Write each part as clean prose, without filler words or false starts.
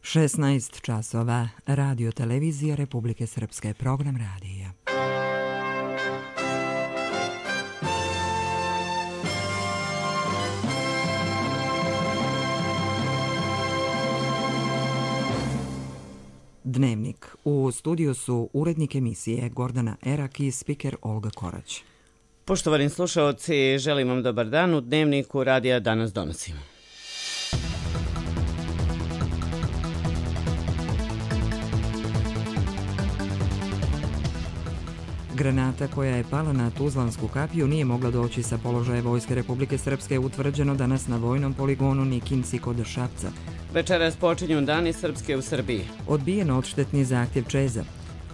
16 časova, Radio Televizija Republike Srpske, program radija. Dnevnik. U studiju su urednik emisije Gordana Erak i spiker Olga Korać. Poštovani slušaoci, želim vam dobar dan. U Dnevniku radija danas donosimo. Granata koja je pala na Tuzlansku kapiju nije mogla doći sa položaja Vojske Republike Srpske, utvrđeno danas na vojnom poligonu Nikinci kod Šapca. Večeras počinju Dani Srpske u Srbiji. Odbijen odštetni zahtjev Čeza.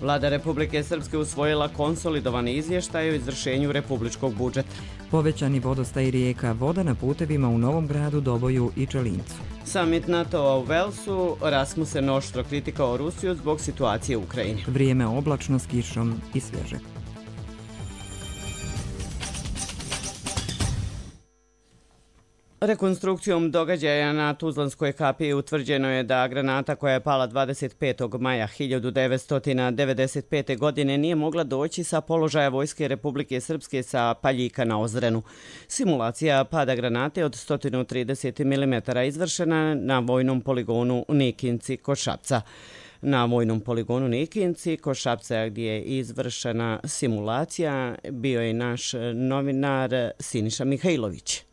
Vlada Republike Srpske usvojila konsolidovani izvještaj o izvršenju republičkog budžeta. Povećani vodostaj rijeka, voda na putevima u Novom Gradu, Doboju i Čelincu. Samit NATO-a u Velsu, Rasmussen oštro kritikao Rusiju zbog situacije u Ukrajini. Vrijeme oblačno s kišom i svježe. Rekonstrukcijom događaja na Tuzlanskoj kapiji utvrđeno je da granata koja je pala 25. maja 1995. godine nije mogla doći sa položaja Vojske Republike Srpske sa Paljika na Ozrenu. Simulacija pada granate od 130 mm izvršena na vojnom poligonu Nikinci kod Šapca. Na vojnom poligonu Nikinci kod Šapca, gdje je izvršena simulacija, bio je naš novinar Siniša Mihajlović.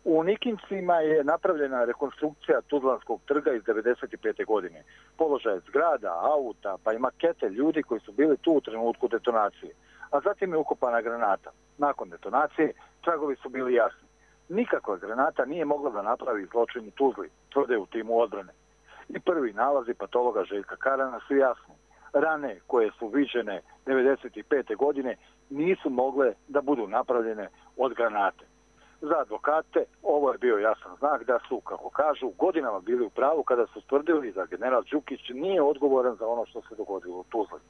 U Nikincima je napravljena rekonstrukcija Tuzlanskog trga iz 1995. godine. Položaj zgrada, auta, pa i makete ljudi koji su bili tu u trenutku detonacije. A zatim je ukopana granata. Nakon detonacije tragovi su bili jasni. Nikakva granata nije mogla da napravi zločin u Tuzli, tvrde u timu odbrane. I prvi nalazi patologa Željka Karana su jasni. Rane koje su viđene 1995. godine nisu mogle da budu napravljene od granate. Za advokate ovo je bio jasan znak da su, kako kažu, godinama bili u pravu kada su tvrdili da general Đukić nije odgovoran za ono što se dogodilo u Tuzli.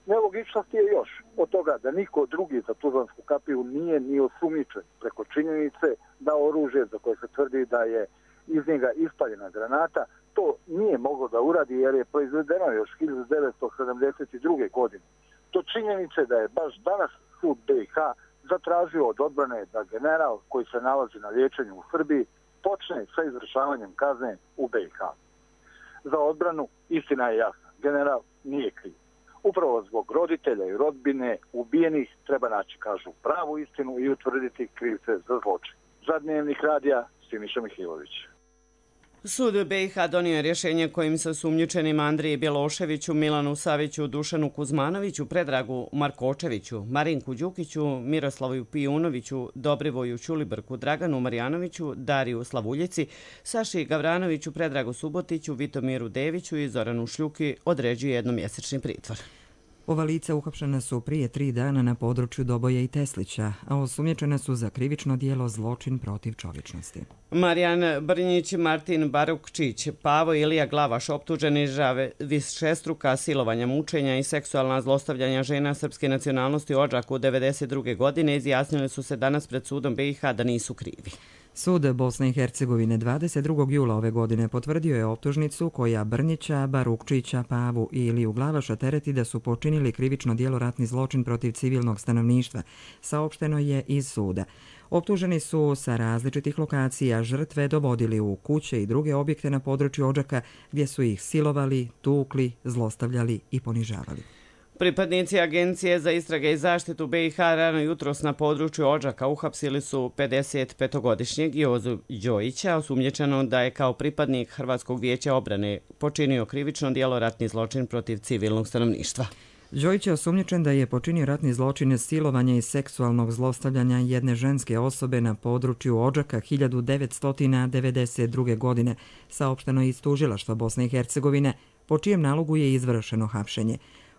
Nelogičnost je još od toga da niko drugi za Tuzlansku kapiju nije ni osumnjičen preko činjenice da oružje za koje se tvrdi da je iz njega ispaljena granata to nije moglo da uradi jer je proizvedeno još 1972. godine. To činjenice da je baš danas sud BiH zatražio od odbrane da general koji se nalazi na liječenju u Srbiji počne sa izvršavanjem kazne u BiH. Za odbranu istina je jasna. General nije kriv. Upravo zbog roditelja i rodbine ubijenih treba naći, kažu, pravu istinu i utvrditi krivce za zločin. Za Dnevnik radija Siniša Mihajlović. Sud BiH donio je rješenje kojim se osumnjičenima Andriji Bjeloševiću, Milanu Saviću, Dušanu Kuzmanoviću, Predragu Markočeviću, Marinku Đukiću, Miroslavu Pijunoviću, Dobrivoju Ćulibrku, Draganu Marjanoviću, Dariju Slavuljici, Saši Gavranoviću, Predragu Subotiću, Vitomiru Deviću i Zoranu Šljuki određuje jednomjesečni pritvor. Ova lica uhapšena su prije 3 dana na području Doboja i Teslića, a osumnjičena su za krivično djelo zločin protiv čovječnosti. Marijan Brnjić, Martin Barukčić, Pavo Ilija Glavaš, optuženi za višestruka silovanja, mučenja i seksualna zlostavljanja žena srpske nacionalnosti u Odžaku 1992. godine izjasnili su se danas pred sudom BiH da nisu krivi. Sud Bosne i Hercegovine 22. jula ove godine potvrdio je optužnicu koja Brnjića, Barukčića, Pavu i Iliju Glavaša tereti da su počinili krivično djelo ratni zločin protiv civilnog stanovništva, saopšteno je iz suda. Optuženi su sa različitih lokacija žrtve dovodili u kuće i druge objekte na području Odžaka gdje su ih silovali, tukli, zlostavljali i ponižavali. Pripadnici Agencije za istrage i zaštitu BiH rano jutros na području Odžaka uhapsili su 55-godišnjeg Jozu Đojića, osumnjičeno da je kao pripadnik Hrvatskog vijeća obrane počinio krivično djelo ratni zločin protiv civilnog stanovništva. Đojić je osumnjičen da je počinio ratni zločin silovanja i seksualnog zlostavljanja jedne ženske osobe na području Odžaka 1992. godine, saopšteno iz tužilaštva Bosne i Hercegovine, po čijem nalogu je izvršeno hapšenje.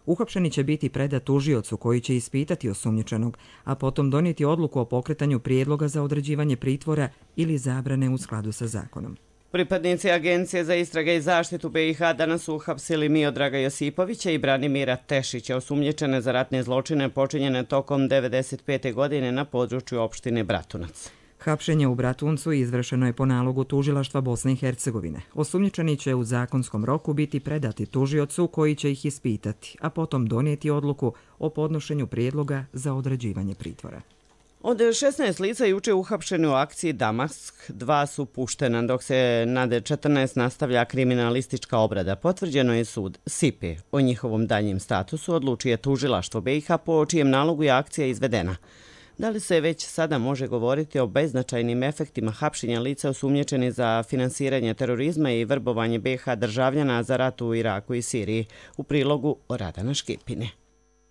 Uhapšeni će biti predat tužiocu koji će ispitati osumnjičenog, a potom donijeti odluku o pokretanju prijedloga za određivanje pritvora ili zabrane u skladu sa zakonom. Pripadnici Agencije za istrage i zaštitu BiH danas su uhapsili Miodraga Josipovića i Branimira Tešića, osumnjičene za ratne zločine počinjene tokom 1995. godine na području opštine Bratunac. Hapšenje u Bratuncu izvršeno je po nalogu tužilaštva Bosne i Hercegovine. Osumnjičeni će u zakonskom roku biti predati tužiocu koji će ih ispitati, a potom donijeti odluku o podnošenju prijedloga za određivanje pritvora. Od 16 lica juče uhapšeni u akciji Damask, 2 su puštena, dok se nad 14 nastavlja kriminalistička obrada. Potvrđeno je sud Sipe. O njihovom daljem statusu odlučuje tužilaštvo BiH, po čijem nalogu je akcija izvedena. Da li se već sada može govoriti o beznačajnim efektima hapšenja lica osumnjičeni za finansiranje terorizma i vrbovanje BiH državljana za rat u Iraku i Siriji? U prilogu Radana Škipine.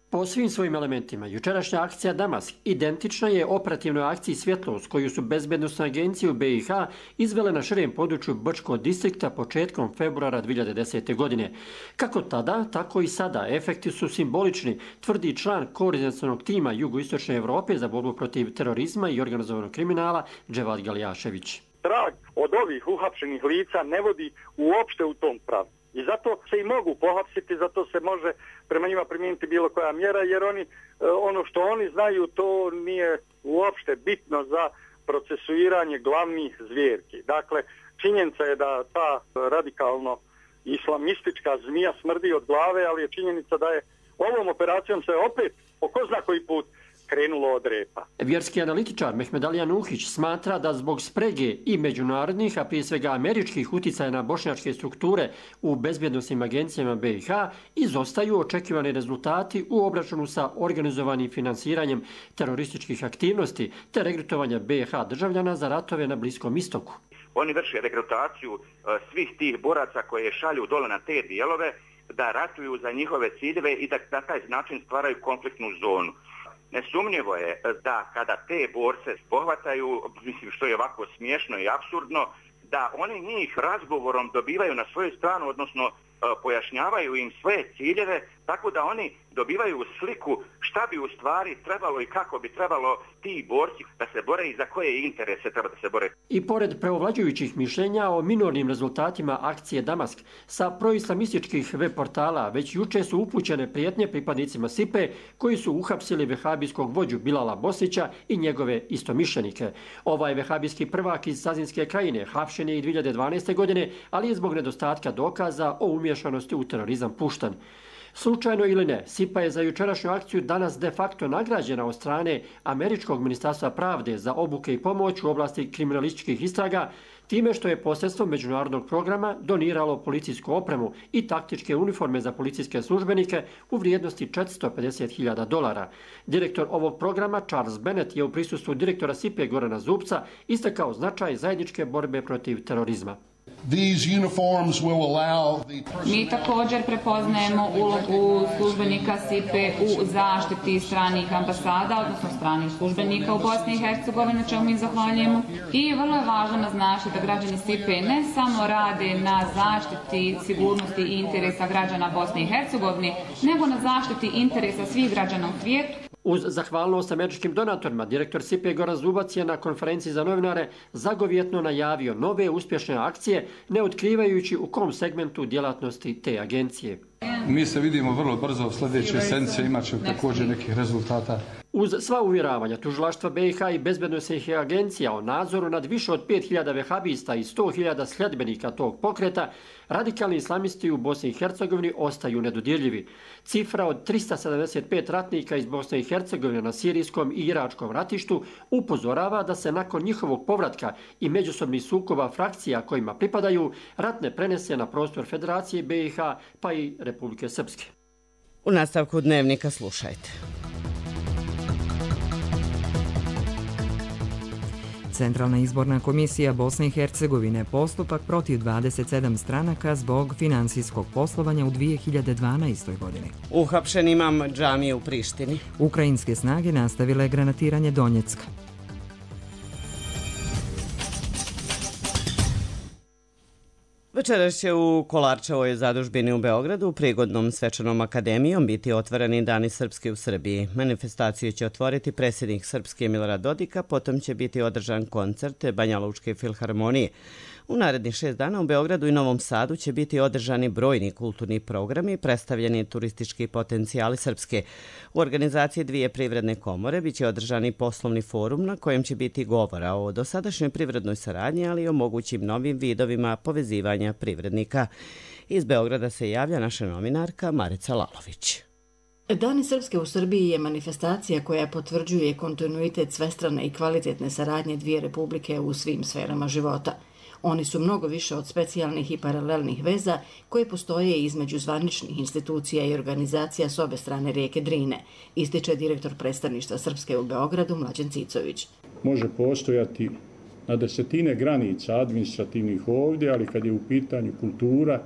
Po svim svojim elementima, jučerašnja akcija Damask identična je operativnoj akciji Svjetlost koju su bezbednosne agencije u BiH izvele na širem području Brčkog distrikta početkom februara 2010. godine. Kako tada, tako i sada. Efekti su simbolični, tvrdi član koordinacionog tima Jugoistočne Evrope za borbu protiv terorizma i organizovanog kriminala Dževad Galjašević. Trag od ovih uhapšenih lica ne vodi uopšte u tom pravcu. I zato se i mogu pohapsiti, zato se može prema njima primijeniti bilo koja mjera, jer ono što oni znaju, to nije uopšte bitno za procesuiranje glavnih zvjerki. Dakle, činjenica je da ta radikalno islamistička zmija smrdi od glave, ali je činjenica da je ovom operacijom se opet, po ko zna koji put, krenulo od repa. Vjerski analitičar Mehmed Ali Anuhić smatra da zbog sprege i međunarodnih, a prije svega američkih uticaja na bošnjačke strukture u bezbjednosnim agencijama BiH izostaju očekivani rezultati u obračunu sa organizovanim finansiranjem terorističkih aktivnosti te regrutovanja BiH državljana za ratove na Bliskom istoku. Oni vrše regrutaciju svih tih boraca koje šalju dole na te dijelove da ratuju za njihove ciljeve i da na taj način stvaraju konfliktnu zonu. Nesumnjivo je da kada te borce pohvataju, mislim što je ovako smiješno i apsurdno, da oni njih razgovorom dobivaju na svoju stranu, odnosno pojašnjavaju im svoje ciljeve, tako da oni dobivaju sliku šta bi u stvari trebalo i kako bi trebalo ti borci da se bore i za koje interese treba da se bore. I pored preovlađujućih mišljenja o minornim rezultatima akcije Damask, sa proislamističkih web portala već juče su upućene prijetnje pripadnicima Sipe koji su uhapsili vehabijskog vođu Bilala Bosnića i njegove istomišljenike. Ovaj vehabijski prvak iz Sazinske krajine hapšen je i 2012. godine, ali je zbog nedostatka dokaza o umješanosti u terorizam pušten. Slučajno ili ne, Sipa je za jučerašnju akciju danas de facto nagrađena od strane Američkog ministarstva pravde za obuke i pomoć u oblasti kriminalističkih istraga, time što je posredstvom međunarodnog programa doniralo policijsku opremu i taktičke uniforme za policijske službenike u vrijednosti $450.000. Direktor ovog programa, Charles Bennett, je u prisustvu direktora Sipe Gorana Zubca istakao značaj zajedničke borbe protiv terorizma. Mi također prepoznajemo ulogu službenika Sipe u zaštiti stranih ambasada, odnosno stranih službenika u Bosni i Hercegovini, na čemu mi zahvaljujemo. I vrlo je važno naznačiti da građani Sipe ne samo rade na zaštiti sigurnosti i interesa građana Bosne i Hercegovine, nego na zaštiti interesa svih građana u svijetu. Uz zahvalnost američkim donatorima, direktor Sipe Goran Zubac je na konferenciji za novinare zagovjetno najavio nove uspješne akcije, ne otkrivajući u kom segmentu djelatnosti te agencije. Mi se vidimo vrlo brzo, sljedeće sedmice imat će također nekih rezultata. Uz sva uvjeravanja tužilaštva BiH i bezbednosnih agencija o nadzoru nad više od 5.000 vehabista i 100.000 sljedbenika tog pokreta, radikalni islamisti u Bosni i Hercegovini ostaju nedodirljivi. Cifra od 375 ratnika iz Bosne i Hercegovine na sirijskom i iračkom ratištu upozorava da se nakon njihovog povratka i međusobnih sukoba frakcija kojima pripadaju, rat ne prenese na prostor Federacije BiH pa i Republike Srpske. U nastavku dnevnika slušajte. Centralna izborna komisija Bosne i Hercegovine postupak protiv 27 stranaka zbog finansijskog poslovanja u 2012. godini. Uhapšen imam džamije u Prištini. Ukrajinske snage nastavile granatiranje Donjecka. Večeras će u Kolarčevoj zadužbini u Beogradu prigodnom svečanom akademijom biti otvoreni Dani Srpski u Srbiji. Manifestaciju će otvoriti predsjednik Srpske Milorad Dodik, potom će biti održan koncert Banja Lučke filharmonije. U narednih 6 dana u Beogradu i Novom Sadu će biti održani brojni kulturni programi i predstavljeni turistički potencijali Srpske. U organizaciji 2 privredne komore biće održani poslovni forum na kojem će biti govora o dosadašnjoj privrednoj saradnji, ali i o mogućim novim vidovima povezivanja privrednika. Iz Beograda se javlja naša novinarka Marica Lalović. Dani Srpske u Srbiji je manifestacija koja potvrđuje kontinuitet svestrane i kvalitetne saradnje dvije republike u svim sferama života. Oni su mnogo više od specijalnih i paralelnih veza koje postoje između zvaničnih institucija i organizacija s obe strane rijeke Drine, ističe direktor predstavništva Srpske u Beogradu Mlađan Cicović. Može postojati na desetine granica administrativnih ovdje, ali kad je u pitanju kultura,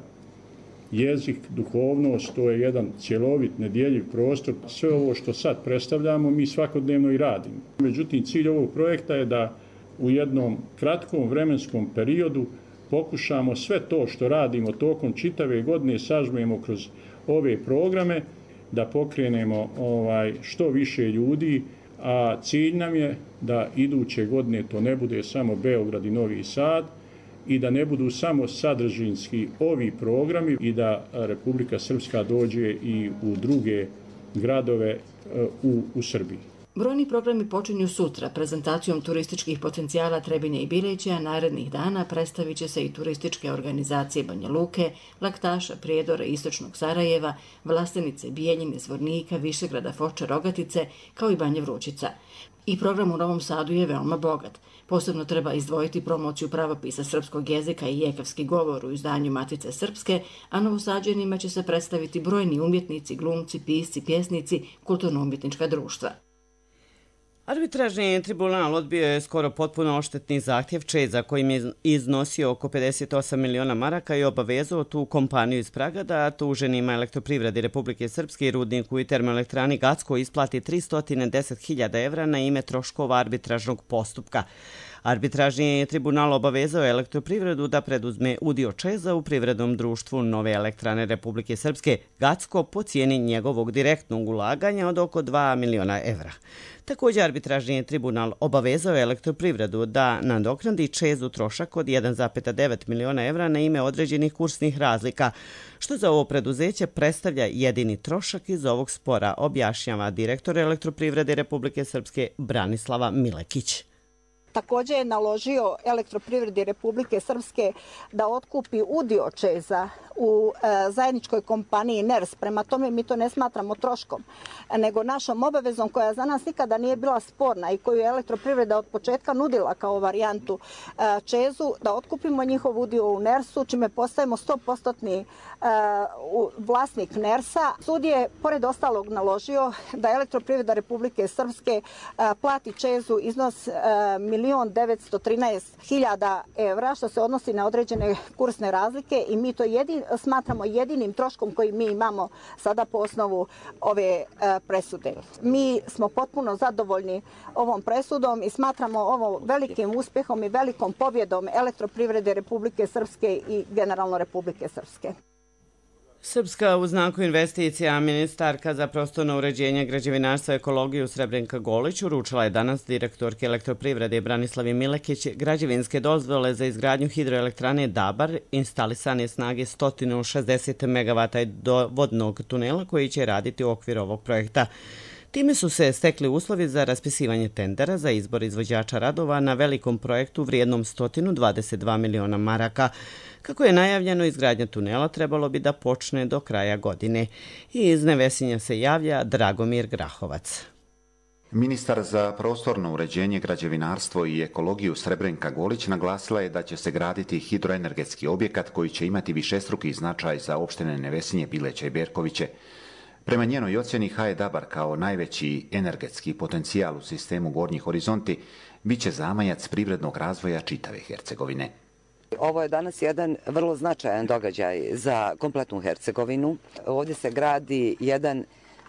jezik, duhovnost, to je jedan cjelovit, nedjeljiv prostor. Sve ovo što sad predstavljamo mi svakodnevno i radimo. Međutim, cilj ovog projekta je da u jednom kratkom vremenskom periodu pokušamo sve to što radimo tokom čitave godine sažmemo kroz ove programe, da pokrenemo što više ljudi, a cilj nam je da iduće godine to ne bude samo Beograd i Novi Sad i da ne budu samo sadržinski ovi programi i da Republika Srpska dođe i u druge gradove u Srbiji. Brojni programi počinju sutra prezentacijom turističkih potencijala Trebinja i Bileća. Narednih dana predstavit će se i turističke organizacije Banja Luke, Laktaša, Prijedora, Istočnog Sarajeva, Vlastenice, Bijeljine, Zvornika, Višegrada, Foče, Rogatice, kao i Banja Vrućica. I program u Novom Sadu je veoma bogat. Posebno treba izdvojiti promociju pravopisa srpskog jezika i jekavski govor u izdanju Matice Srpske, a Novosađanima će se predstaviti brojni umjetnici, glumci, pisci, pjesnici, kulturno-umjetnička društva. Arbitražni tribunal odbio je skoro potpuno odštetni zahtjev Čeza kojim je iznosio oko 58 miliona maraka i obavezao tu kompaniju iz Praga da tuženima Elektroprivredi Republike Srpske i rudniku i termoelektrani Gacko isplati 310.000 evra na ime troškova arbitražnog postupka. Arbitražni tribunal obavezao Elektroprivredu da preduzme udio Čeza u privrednom društvu Nove elektrane Republike Srpske Gacko po cijeni njegovog direktnog ulaganja od oko 2 miliona evra. Također arbitražni tribunal obavezao Elektroprivredu da nadoknadi Čezu trošak od 1,9 miliona evra na ime određenih kursnih razlika, što za ovo preduzeće predstavlja jedini trošak iz ovog spora, objašnjava direktor Elektroprivrede Republike Srpske Branislava Milekić. Također je naložio Elektroprivredi Republike Srpske da otkupi udio Čeza u zajedničkoj kompaniji NERS. Prema tome mi to ne smatramo troškom, nego našom obavezom koja za nas nikada nije bila sporna i koju je Elektroprivreda od početka nudila kao varijantu Čezu, da otkupimo njihov udio u NERS-u, čime postajemo 100% vlasnik NERS-a. Sud je, pored ostalog, naložio da Elektroprivreda Republike Srpske plati Čezu iznos 1.913.000 evra, što se odnosi na određene kursne razlike i mi to smatramo jedinim troškom koji mi imamo sada po osnovu ove presude. Mi smo potpuno zadovoljni ovom presudom i smatramo ovo velikim uspjehom i velikom pobjedom Elektroprivrede Republike Srpske i generalno Republike Srpske. Srpska u znaku investicija ministarka za prostorno uređenje, građevinarstva i ekologiju Srebrenka Golić uručila je danas direktorki Elektroprivrede Branislavi Milekić građevinske dozvole za izgradnju hidroelektrane Dabar, instalisane snage 160 MW vodnog tunela koji će raditi u okviru ovog projekta. Time su se stekli uslovi za raspisivanje tendera za izbor izvođača radova na velikom projektu vrijednom 122 miliona maraka. Kako je najavljeno, izgradnja tunela trebalo bi da počne do kraja godine. I iz Nevesinja se javlja Dragomir Grahovac. Ministar za prostorno uređenje, građevinarstvo i ekologiju Srebrenka Golić naglasila je da će se graditi hidroenergetski objekat koji će imati višestruki značaj za opštine Nevesinje, Bileća i Berkoviće. Prema njenoj ocjeni HE Dabar kao najveći energetski potencijal u sistemu Gornji horizonti biće zamajac privrednog razvoja čitave Hercegovine. Ovo je danas jedan vrlo značajan događaj za kompletnu Hercegovinu. Ovdje se gradi jedan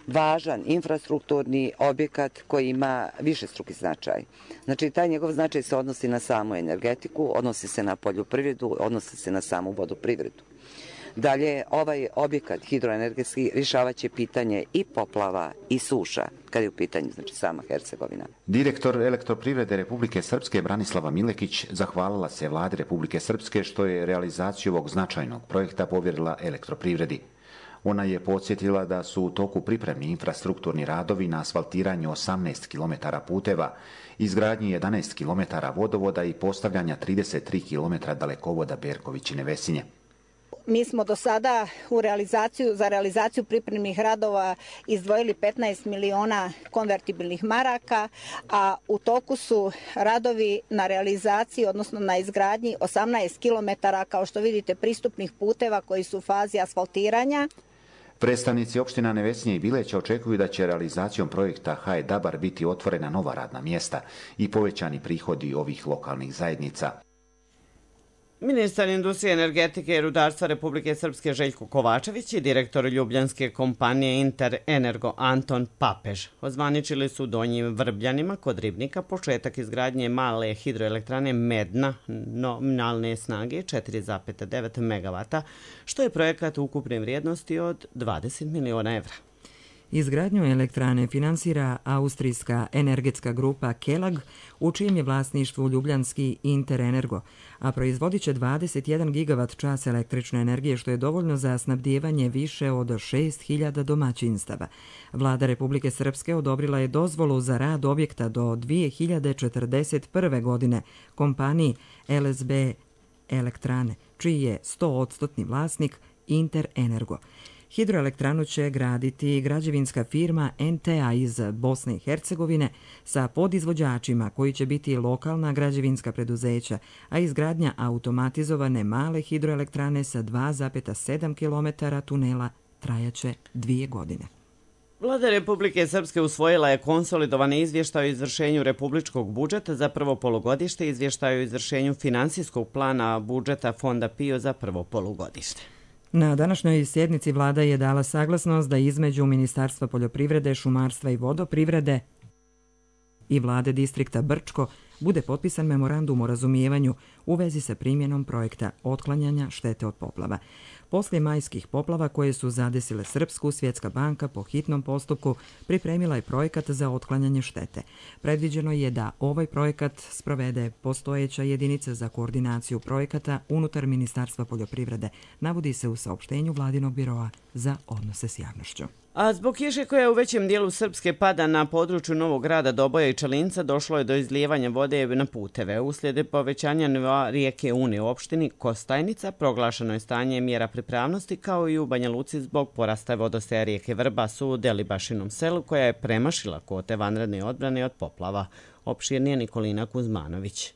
važan infrastrukturni objekat koji ima višestruki značaj. Znači, taj njegov značaj se odnosi na samu energetiku, odnosi se na poljoprivredu, odnosi se na samu vodoprivredu. Dalje, ovaj objekat hidroenergetski rješavat će pitanje i poplava i suša, kad je u pitanju sama Hercegovina. Direktor Elektroprivrede Republike Srpske Branislava Milekić zahvalila se vladi Republike Srpske što je realizaciju ovog značajnog projekta povjerila Elektroprivredi. Ona je podsjetila da su u toku pripremni infrastrukturni radovi na asfaltiranju 18 km puteva, izgradnji 11 km vodovoda i postavljanja 33 km dalekovoda Berković i Nevesinje. Mi smo do sada za realizaciju pripremnih radova izdvojili 15 miliona konvertibilnih maraka, a u toku su radovi na realizaciji, odnosno na izgradnji 18 km, kao što vidite, pristupnih puteva koji su u fazi asfaltiranja. Predstavnici opština Nevesinje i Bileća očekuju da će realizacijom projekta HE Dabar biti otvorena nova radna mjesta i povećani prihodi ovih lokalnih zajednica. Ministar industrije, energetike i rudarstva Republike Srpske Željko Kovačević i direktor ljubljanske kompanije Inter Energo Anton Papež ozvaničili su u Donjim Vrbljanima kod Ribnika početak izgradnje male hidroelektrane Medna nominalne snage 4,9 MW, što je projekat ukupne vrijednosti od 20 miliona evra. Izgradnju elektrane finansira austrijska energetska grupa Kelag, u čijem je vlasništvu ljubljanski Interenergo, a proizvodit će 21 gigavat čas električne energije, što je dovoljno za snabdijevanje više od 6.000 domaćinstava. Vlada Republike Srpske odobrila je dozvolu za rad objekta do 2041. godine kompaniji LSB Elektrane, čiji je 100% vlasnik Interenergo. Hidroelektranu će graditi građevinska firma NTA iz Bosne i Hercegovine sa podizvođačima koji će biti lokalna građevinska preduzeća, a izgradnja automatizovane male hidroelektrane sa 2,7 km tunela trajaće 2 godine. Vlada Republike Srpske usvojila je konsolidovani izvještaj o izvršenju republičkog budžeta za prvo polugodište i izvještaj o izvršenju finansijskog plana budžeta Fonda PIO za prvo polugodište. Na današnjoj sjednici vlada je dala saglasnost da između Ministarstva poljoprivrede, šumarstva i vodoprivrede i vlade distrikta Brčko bude potpisan memorandum o razumijevanju u vezi sa primjenom projekta otklanjanja štete od poplava. Poslije majskih poplava koje su zadesile Srpsku, Svjetska banka po hitnom postupku pripremila je projekat za otklanjanje štete. Predviđeno je da ovaj projekat sprovede postojeća jedinica za koordinaciju projekata unutar Ministarstva poljoprivrede, navodi se u saopštenju Vladinog biroa za odnose s javnošću. A zbog kiše koja u većem dijelu Srpske pada na području Novog Grada, Doboja i Čelinca došlo je do izlijevanja vode na puteve. Uslijed povećanja nivoa rijeke Une u opštini Kostajnica proglašeno je stanje mjera pripravnosti, kao i u Banja Luci zbog porasta vodostaja rijeke Vrbas u Delibašinom selu, koja je premašila kvote vanredne odbrane od poplava. Opširnije Nikolina Kuzmanović.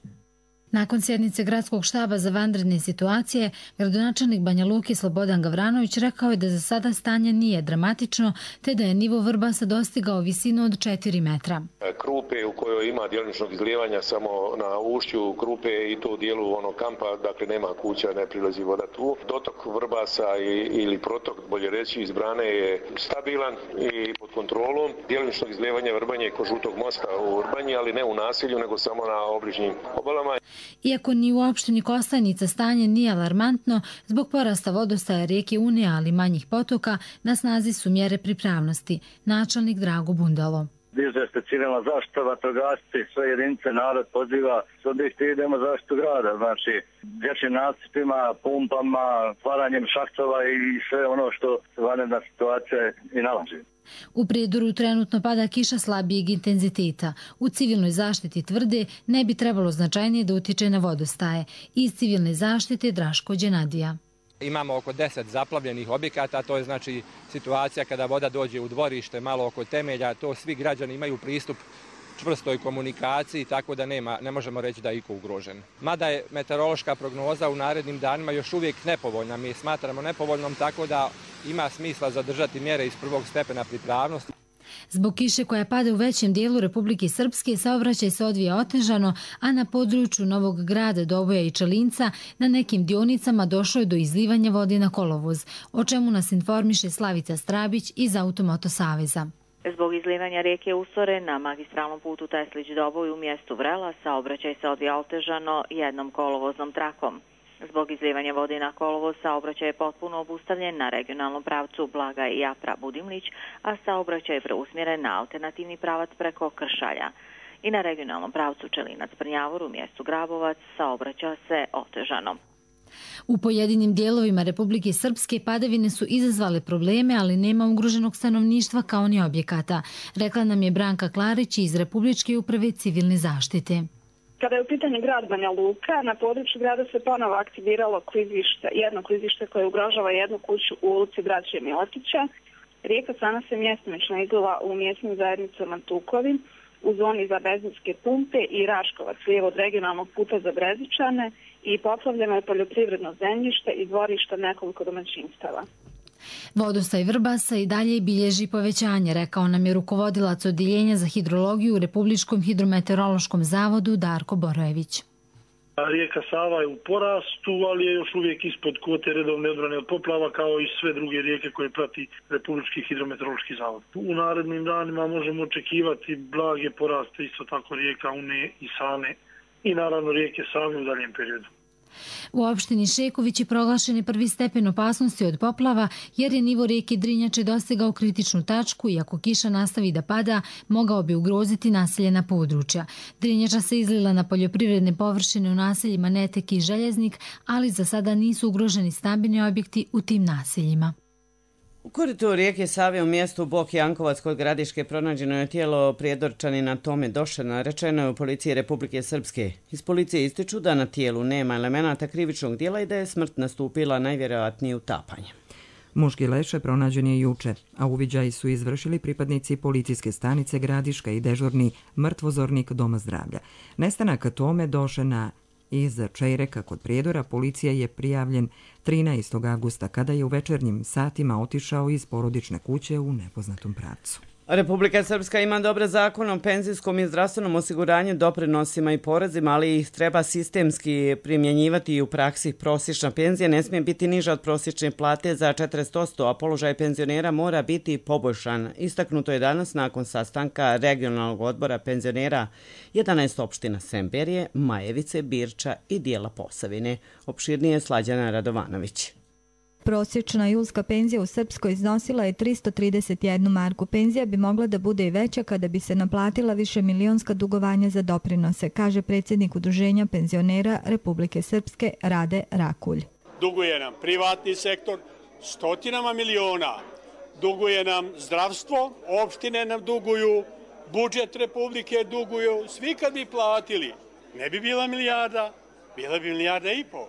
Nakon sjednice gradskog štaba za vanredne situacije, gradonačelnik Banja Luke Slobodan Gavranović rekao je da za sada stanje nije dramatično, te da je nivo Vrbasa dostigao visinu od 4 metra. Krupe u kojoj ima djelomičnog izlijevanja samo na ušću Krupe i to u dijelu onog kampa, dakle nema kuća, ne prilazi voda tu. Dotok Vrbasa ili protok, bolje reći, iz brane je stabilan i pod kontrolom. Djelomičnog izlijevanja Vrbanje je kod Žutog mosta u Vrbanji, ali ne u nasilju, nego samo na obližnjim obalama. Iako ni u opštini Kostajnica stanje nije alarmantno, zbog porasta vodostaja rijeke Une, ali manjih potoka, na snazi su mjere pripravnosti. Načelnik Drago Bundalo. Diže se civilna zaštita, vatrogasci, sve jedinice, narod poziva, subjekti idemo zaštitu grada, znači dječjim nasipima, pumpama, stvaranjem šahtova i sve ono što vanredna situacija i nalaži. U Prijedoru trenutno pada kiša slabijeg intenziteta. U civilnoj zaštiti tvrde ne bi trebalo značajnije da utiče na vodostaje. Iz civilne zaštite Draško Đenadija. Imamo oko 10 zaplavljenih objekata, to je znači situacija kada voda dođe u dvorište, malo oko temelja, to svi građani imaju pristup čvrstoj komunikaciji, tako da ne možemo reći da je iko ugrožen. Mada je meteorološka prognoza u narednim danima još uvijek nepovoljna, mi je smatramo nepovoljnom, tako da ima smisla zadržati mjere iz prvog stepena pripravnosti. Zbog kiše koja pada u većem dijelu Republike Srpske, saobraćaj se odvija otežano, a na području Novog Grada, Doboja i Čelinca na nekim dionicama došlo je do izlivanja vode na kolovoz, o čemu nas informiše Slavica Strabić iz Automoto Saveza. Zbog izlivanja rijeke Usore na magistralnom putu Teslić-Doboj u mjestu Vrela saobraćaj se odvija otežano jednom kolovoznom trakom. Zbog izlijevanja vode na kolovoz, saobraćaj je potpuno obustavljen na regionalnom pravcu Blaga i Japra-Budimlić, a saobraćaj je preusmjeren na alternativni pravac preko Kršalja. I na regionalnom pravcu Čelinac-Prnjavor u mjestu Grabovac saobraća se otežano. U pojedinim dijelovima Republike Srpske padavine su izazvale probleme, ali nema ugroženog stanovništva kao ni objekata, rekla nam je Branka Klarić iz Republičke uprave civilne zaštite. Kada je u pitanju grad Banja Luka, na području grada se ponovo aktiviralo jedno klizište koje ugrožava jednu kuću u ulici Braće Miletića. Rijeka Sana se mjestomično izlila u mjesnim zajednicama Tukovi, u zoni za benzinske pumpe i Raškovac, lijevo od regionalnog puta za Brezičane, i poplavljeno je poljoprivredno zemljište i dvorišta nekoliko domaćinstava. Vodostaj Vrbasa i dalje bilježi povećanje, rekao nam je rukovodilac Odjeljenja za hidrologiju u Republičkom hidrometeorološkom zavodu Darko Borojević. Rijeka Sava je u porastu, ali je još uvijek ispod kvote redovne odbrane od poplava, kao i sve druge rijeke koje prati Republički hidrometeorološki zavod. U narednim danima možemo očekivati blage poraste, isto tako rijeka Une i Sane i naravno rijeke Save u daljem periodu. U opštini Šeković je proglašen prvi stepen opasnosti od poplava jer je nivo rijeke Drinjače dostigao kritičnu tačku i ako kiša nastavi da pada, mogao bi ugroziti naseljena područja. Drinjača se izlila na poljoprivredne površine u naseljima Netek i Željeznik, ali za sada nisu ugroženi stambeni objekti u tim naseljima. U koritu rijeke Save u mjestu Bok Jankovac kod Gradiške pronađeno je tijelo prijedorčanina Tome Došana, rečeno je u policiji Republike Srpske. Iz policije ističu da na tijelu nema elemenata krivičnog djela i da je smrt nastupila najvjerojatnije utapanjem. Muški leše pronađen je juče, a uviđaji su izvršili pripadnici policijske stanice Gradiška i dežurni mrtvozornik Doma zdravlja. Nestanak Tome Došana iz Čejreka kod Prijedora policija je prijavljen 13. augusta kada je u večernjim satima otišao iz porodične kuće u nepoznatom pravcu. Republika Srpska ima dobar zakon o penzijskom i zdravstvenom osiguranju, doprinosima i porezima, ali ih treba sistemski primjenjivati i u praksi. Prosječna penzija ne smije biti niža od prosječne plate za 40%, a položaj penzionera mora biti poboljšan. Istaknuto je danas nakon sastanka regionalnog odbora penzionera 11 opština Semberije, Majevice, Birča i dijela Posavine. Opširnije Slađana Radovanović. Prosječna julska penzija u Srpskoj iznosila je 331 marku. Penzija bi mogla da bude i veća kada bi se naplatila više milionska dugovanja za doprinose, kaže predsjednik Udruženja penzionera Republike Srpske Rade Rakulj. Duguje nam privatni sektor stotinama miliona, duguje nam zdravstvo, opštine nam duguju, budžet Republike duguju, svi kad bi platili, ne bi bila milijarda, bila bi milijarda i pol.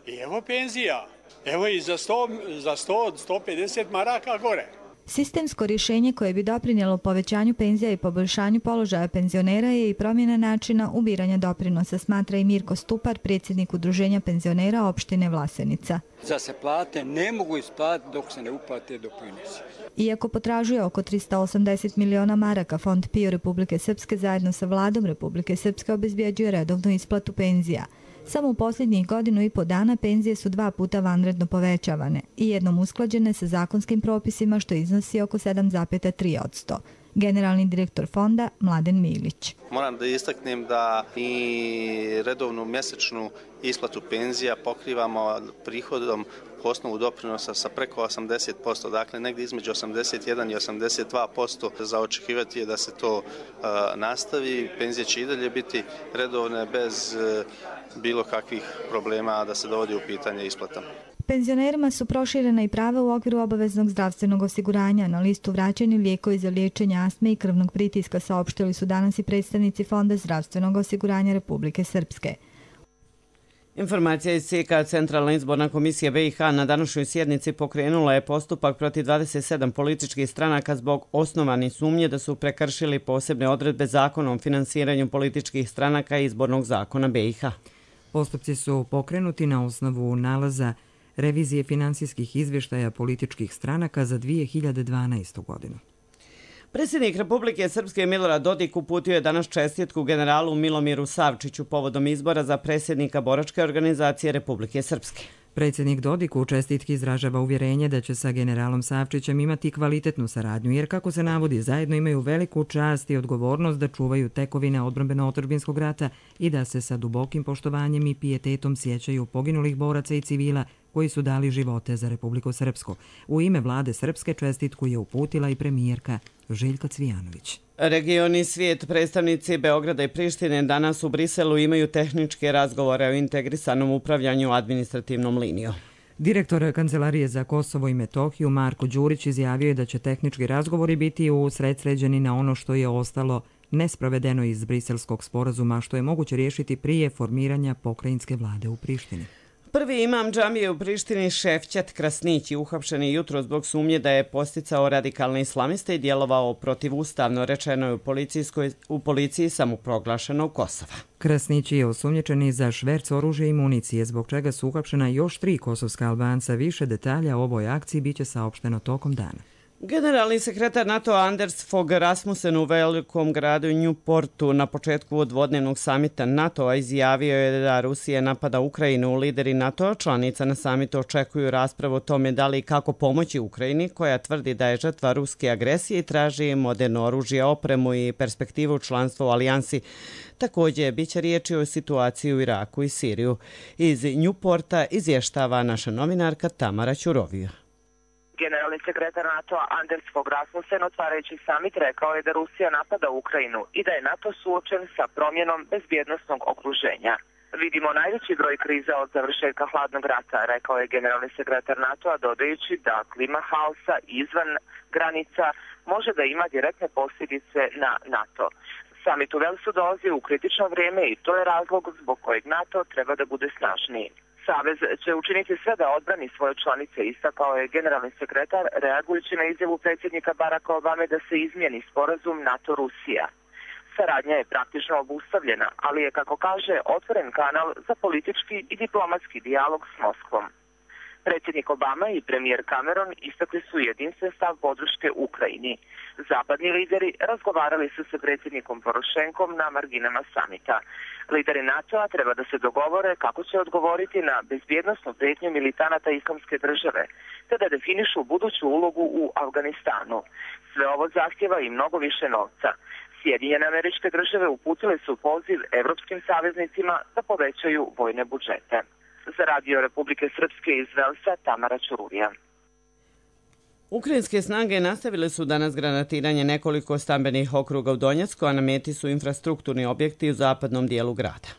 I evo penzija. Evo i za 100-150 maraka gore. Sistemsko rješenje koje bi doprinijelo povećanju penzija i poboljšanju položaja penzionera je i promjena načina ubiranja doprinosa, smatra i Mirko Stupar, predsjednik Udruženja penzionera opštine Vlasenica. Za se plate ne mogu isplatiti dok se ne uplate doprinosi. Iako potražuje oko 380 miliona maraka, Fond PIO Republike Srpske zajedno sa vladom Republike Srpske obezbjeđuje redovnu isplatu penzija. Samo u posljednjih 1,5 dana penzije su 2 puta vanredno povećavane i jednom usklađene sa zakonskim propisima što iznosi oko 7,3%. Generalni direktor fonda Mladen Milić. Moram da istaknem da i redovnu mjesečnu isplatu penzija pokrivamo prihodom po osnovu doprinosa sa preko 80%, dakle negdje između 81 i 82%. Za očekivati je da se to nastavi. Penzije će i dalje biti redovne bez bilo kakvih problema da se dovodi u pitanje isplata. Penzionerima su proširena i prava u okviru obaveznog zdravstvenog osiguranja. Na listu vraćeni lijekovi za liječenje astme i krvnog pritiska saopštili su danas i predstavnici Fonda zdravstvenog osiguranja Republike Srpske. Informacija iz CK Centralna izborna komisija BiH na današnjoj sjednici pokrenula je postupak protiv 27 političkih stranaka zbog osnovane sumnje da su prekršili posebne odredbe zakona o finansiranju političkih stranaka i izbornog zakona BiH. Postupci su pokrenuti na osnovu nalaza revizije finansijskih izvještaja političkih stranaka za 2012. godinu. Predsjednik Republike Srpske Milorad Dodik uputio je danas čestitku generalu Milomiru Savčiću povodom izbora za predsjednika boračke organizacije Republike Srpske. Predsjednik Dodik u čestitki izražava uvjerenje da će sa generalom Savčićem imati kvalitetnu saradnju, jer kako se navodi, zajedno imaju veliku čast i odgovornost da čuvaju tekovine odbrambeno-otadžbinskog rata i da se sa dubokim poštovanjem i pijetetom sjećaju poginulih boraca i civila koji su dali živote za Republiku Srpsku. U ime vlade Srpske čestitku je uputila i premijerka Željka Cvijanović. Region i svijet, predstavnici Beograda i Prištine danas u Briselu imaju tehničke razgovore o integrisanom upravljanju administrativnom linijom. Direktor Kancelarije za Kosovo i Metohiju Marko Đurić izjavio je da će tehnički razgovori biti usredsređeni na ono što je ostalo nesprovedeno iz briselskog sporazuma, što je moguće riješiti prije formiranja pokrajinske vlade u Prištini. Prvi imam džamije u Prištini Šefčat Krasnić je uhapšen jutro zbog sumnje da je posticao radikalne islamiste i djelovao protivustavno, rečeno je u policiji samoproglašenog Kosova. Krasnić je osumnjičen i za šverc oružja i municije, zbog čega su uhapšena još 3 kosovska Albanca. Više detalja o ovoj akciji biće saopšteno tokom dana. Generalni sekretar NATO Anders Fogh Rasmussen u velikom gradu Newportu na početku dvodnevnog samita NATO-a izjavio je da Rusija napada Ukrajinu. Lideri NATO članica na samitu očekuju raspravu o tome da li i kako pomoći Ukrajini, koja tvrdi da je žrtva ruske agresije i traži moderno oružje, opremu i perspektivu članstva u alijansi. Također, bit će riječi o situaciji u Iraku i Siriju. Iz Newporta izvještava naša novinarka Tamara Ćurovija. Generalni sekretar NATO-a Anders Fogh Rasmussen otvarajući samit rekao je da Rusija napada Ukrajinu i da je NATO suočen sa promjenom bezbjednosnog okruženja. Vidimo najveći broj kriza od završetka hladnog rata, rekao je generalni sekretar NATO-a, dodajući da klima haosa izvan granica može da ima direktne posljedice na NATO. Samit u Velsu dolazi u kritično vrijeme i to je razlog zbog kojeg NATO treba da bude snažniji. Savez će učiniti sve da odbrani svoje članice, istakao je generalni sekretar, reagujući na izjavu predsjednika Baracka Obame da se izmijeni sporazum NATO-Rusija. Saradnja je praktično obustavljena, ali je, kako kaže, otvoren kanal za politički i diplomatski dijalog s Moskvom. Predsjednik Obama i premijer Cameron istakli su jedinstven stav podrške Ukrajini. Zapadni lideri razgovarali su sa predsjednikom Porošenkom na marginama samita. Lideri NATO-a treba da se dogovore kako će odgovoriti na bezbjednosnu prijetnju militanata Islamske države, te da definišu buduću ulogu u Afganistanu. Sve ovo zahtjeva i mnogo više novca. Sjedinjene Američke Države uputile su poziv evropskim saveznicima da povećaju vojne budžete. Za Radio Republike Srpske iz Velsa, Tamara Ćuruvija. Ukrajinske snage nastavile su danas granatiranje nekoliko stambenih okruga u Donjecku, a na meti su infrastrukturni objekti u zapadnom dijelu grada.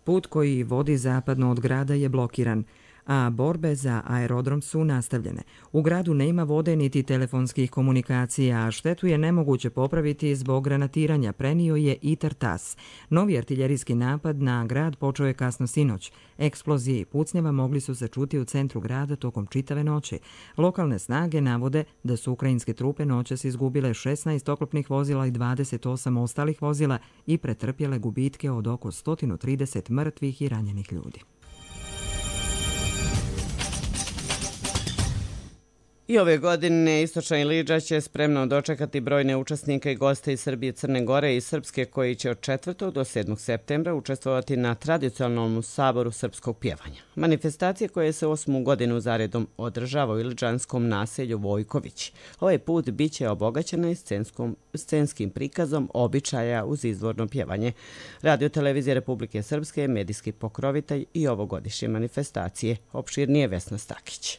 Put koji vodi zapadno od grada je blokiran, a borbe za aerodrom su nastavljene. U gradu nema vode niti telefonskih komunikacija, a štetu je nemoguće popraviti zbog granatiranja, prenio je ITAR TASS. Novi artiljerijski napad na grad počeo je kasno sinoć. Eksplozije i pucnjava mogli su se čuti u centru grada tokom čitave noći. Lokalne snage navode da su ukrajinske trupe noćas izgubile 16 oklopnih vozila i 28 ostalih vozila i pretrpjele gubitke od oko 130 mrtvih i ranjenih ljudi. I ove godine Istočna Ilidža će spremno dočekati brojne učesnike i goste iz Srbije, Crne Gore i Srpske koji će od 4. do 7. septembra učestvovati na tradicionalnom saboru srpskog pjevanja. Manifestacije koje se 8. godinu zaredom održava u ilidžanskom naselju Vojković. Ovaj put bit će obogaćena i scenskim prikazom običaja uz izvorno pjevanje. Radio Televizija Republike Srpske je medijski pokrovitelj i ovogodišnje manifestacije. Opširnije Vesna Stakić.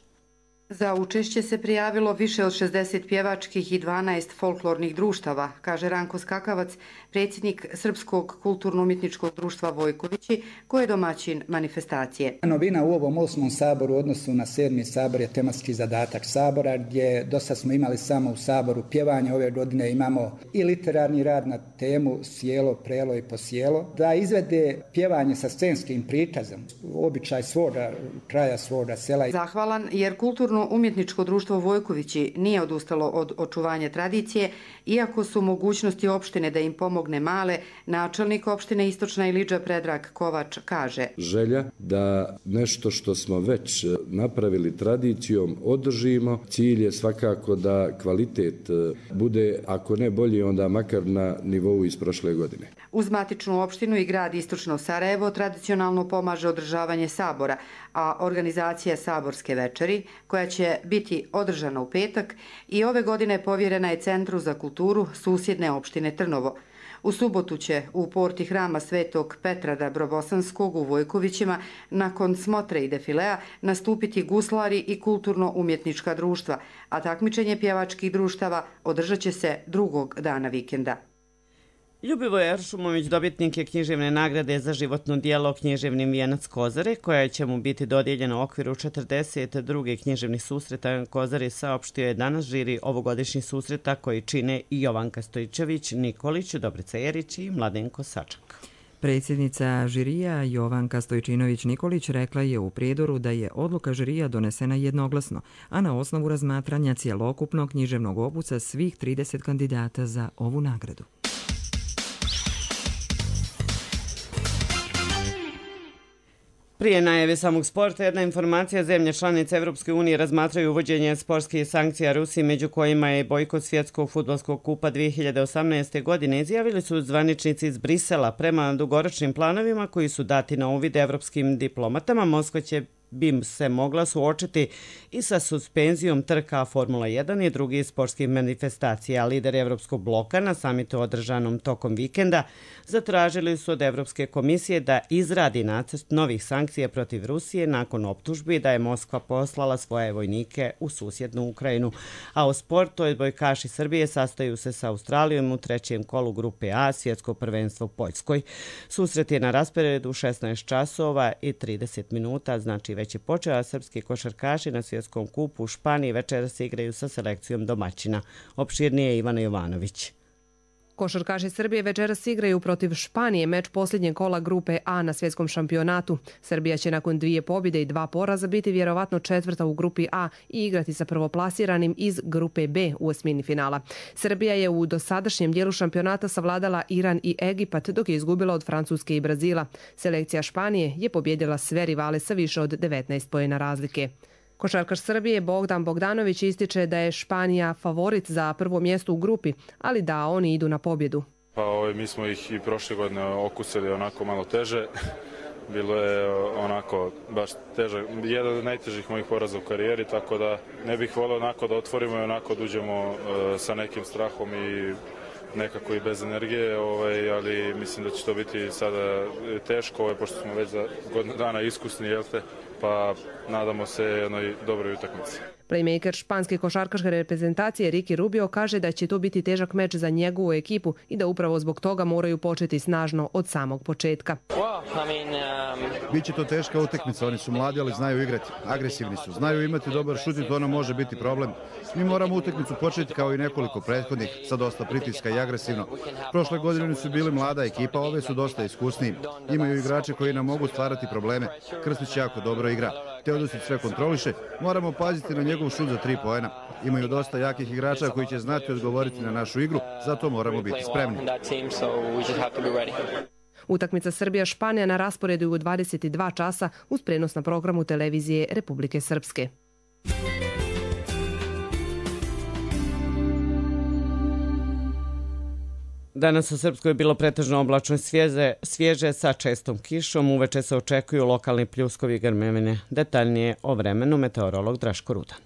Za učešće se prijavilo više od 60 pjevačkih i 12 folklornih društava, kaže Ranko Skakavac, predsjednik Srpskog kulturno-umjetničkog društva Vojkovići, koji je domaćin manifestacije. Novina u ovom 8. saboru u odnosu na 7. sabor je tematski zadatak sabora, gdje dosta smo imali samo u saboru pjevanje. Ove godine imamo i literarni rad na temu Sjelo, prelo i posjelo, da izvede pjevanje sa scenskim prikazom, običaj svoga kraja, svoga sela. Zahvalan jer Kulturno-umjetničko društvo Vojkovići nije odustalo od očuvanja tradicije, iako su mogućnosti opštine da im pomogne male, načelnik opštine Istočna Ilidža Predrag Kovač kaže. Želja da nešto što smo već napravili tradicijom održimo. Cilj je svakako da kvalitet bude, ako ne bolji, onda makar na nivou iz prošle godine. Uz matičnu opštinu i grad Istočno Sarajevo tradicionalno pomaže održavanje sabora, a organizacija Saborske večeri, koja će biti održana u petak, i ove godine povjerena je Centru za kulturu susjedne opštine Trnovo. U subotu će u porti hrama Svetog Petra Dabrobosanskog u Vojkovićima nakon smotre i defilea nastupiti guslari i kulturno-umjetnička društva, a takmičenje pjevačkih društava održat će se drugog dana vikenda. Ljubivoje Eršumović dobitnik je književne nagrade za životno dijelo Književni vijenac Kozare, koja će mu biti dodijeljena u okviru 42. književnih susreta Kozare, saopštio je danas žiri ovogodišnjih susreta koji čine i Jovanka Stojčević, Nikolić, Dobrica Jerić i Mladenko Sačak. Predsjednica žirija Jovanka Stojčinović-Nikolić rekla je u prijedoru da je odluka žirija donesena jednoglasno, a na osnovu razmatranja cjelokupnog književnog opusa svih 30 kandidata za ovu nagradu. Prije najave samog sporta, jedna informacija: zemlje članice Evropske unije razmatraju uvođenje sportskih sankcija Rusiji, među kojima je bojkot svjetskog fudbalskog kupa 2018. godine, izjavili su zvaničnici iz Brisela. Prema dugoročnim planovima koji su dati na uvid evropskim diplomatama, Moskva bi se mogla suočiti i sa suspenzijom trka Formula 1 i drugih sportskih manifestacija. Lideri Evropskog bloka na samitu održanom tokom vikenda zatražili su od Evropske komisije da izradi nacrt novih sankcija protiv Rusije nakon optužbi da je Moskva poslala svoje vojnike u susjednu Ukrajinu. A u sportu odbojkaši Srbije sastaju se sa Australijom u trećem kolu grupe A, svjetsko prvenstvo u Poljskoj. Susret je na rasporedu 16 časova i 30 minuta, znači već je počeo, a srpski košarkaši na svjetskom kupu u Španiji večeras se igraju sa selekcijom domaćina. Opširnije Ivana Jovanović. Košarkaši Srbije večeras igraju protiv Španije, meč posljednjeg kola grupe A na svjetskom šampionatu. Srbija će nakon 2 pobjede i 2 poraza biti vjerovatno 4. u grupi A i igrati sa prvoplasiranim iz grupe B u osmini finala. Srbija je u dosadašnjem dijelu šampionata savladala Iran i Egipat, dok je izgubila od Francuske i Brazila. Selekcija Španije je pobjedila sve rivale sa više od 19 poena razlike. Košarkaš Srbije Bogdan Bogdanović ističe da je Španija favorit za prvo mjesto u grupi, ali da oni idu na pobjedu. Pa mi smo ih i prošle godine okusili onako malo teže. Bilo je onako baš teže, jedan od najtežih mojih poraza u karijeri, tako da ne bih volio onako da otvorimo i onako da uđemo sa nekim strahom i nekako i bez energije, ali mislim da će to biti sada teško, pošto smo već za godinu dana iskusni, pa nadamo se jednoj dobroj utakmici. Playmaker španske košarkaške reprezentacije Ricky Rubio kaže da će to biti težak meč za njegovu ekipu i da upravo zbog toga moraju početi snažno od samog početka. Biće to teška utakmica, oni su mladi, ali znaju igrati, agresivni su, znaju imati dobar šut i to nam može biti problem. Mi moramo utakmicu početi kao i nekoliko prethodnih, sa dosta pritiska i agresivno. Prošle godine su bili mlada ekipa, ove su dosta iskusniji. Imaju igrače koji nam mogu stvarati probleme. Krstić jako dobro igra. Teodosić sve kontroliše, moramo paziti na njegov šut za 3 poena. Imaju dosta jakih igrača koji će znati odgovoriti na našu igru, zato moramo biti spremni. Utakmica Srbija-Španija na rasporedu u 22 časa uz prenos na programu televizije Republike Srpske. Danas u Srpskoj je bilo pretežno oblačno svježe sa čestom kišom. Uveče se očekuju lokalni pljuskovi i grmevine. Detaljnije o vremenu meteorolog Draško Rudan.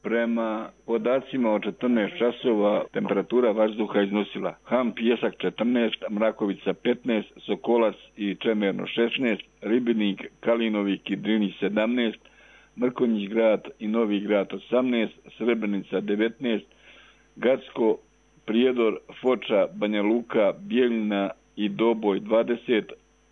Prema podacima od 14 časova temperatura vazduha iznosila Ham Pjesak 14, Mrakovica 15, Sokolac i Čemerno 16, Ribinik, Kalinovik i Drini 17, Mrkonjić grad i Novi grad 18, Srebrenica 19, Gacko, Prijedor, Foča, Banja Luka, Bijeljina i Doboj 20,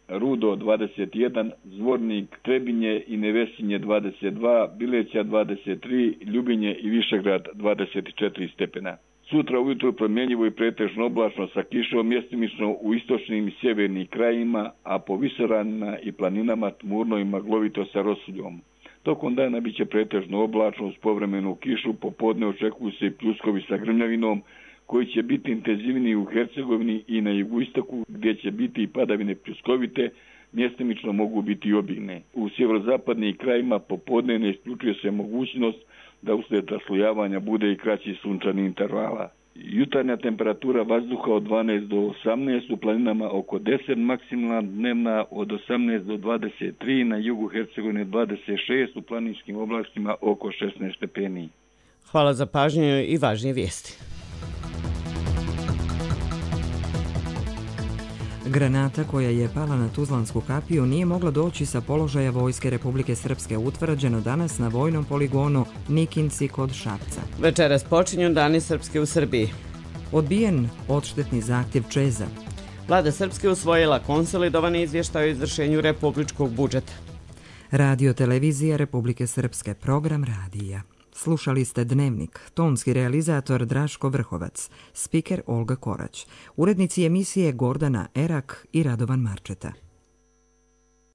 Rudo 21, Zvornik, Trebinje i Nevesinje 22, Bileća 23, Ljubinje i Višegrad 24 stepena. Sutra ujutro promjenjivo i pretežno oblačno sa kišom, mjestimično u istočnim i sjevernim krajima, a po visoranima i planinama tmurno i maglovito sa rosuljom. Tokom dana biće pretežno oblačno uz povremenu kišu, popodne očekuju se i pljuskovi sa grmljavinom, koji će biti intenzivniji u Hercegovini i na jugoistoku, gdje će biti i padavine pljuskovite, mjestimično mogu biti i obilne. U sjeverozapadnim krajima popodne ne isključuje se mogućnost da uslijed raslojavanja bude i kraći sunčani intervala. Jutarnja temperatura vazduha od 12 do 18, u planinama oko 10, maksimalna dnevna od 18 do 23, na jugu Hercegovine 26, u planinskim oblastima oko 16 stepeni. Hvala za pažnju i važnije vijesti. Granata koja je pala na Tuzlansku kapiju nije mogla doći sa položaja Vojske Republike Srpske, utvrđeno danas na vojnom poligonu Nikinci kod Šapca. Večeras počinju Dani Srpske u Srbiji. Odbijen odštetni zahtjev Čeza. Vlada Srpske usvojila konsolidovani izvještaj o izvršenju republičkog budžeta. Radio televizija Republike Srpske, program radija. Slušali ste Dnevnik, tonski realizator Draško Vrhovac, spiker Olga Korać, urednici emisije Gordana Erak i Radovan Marčeta.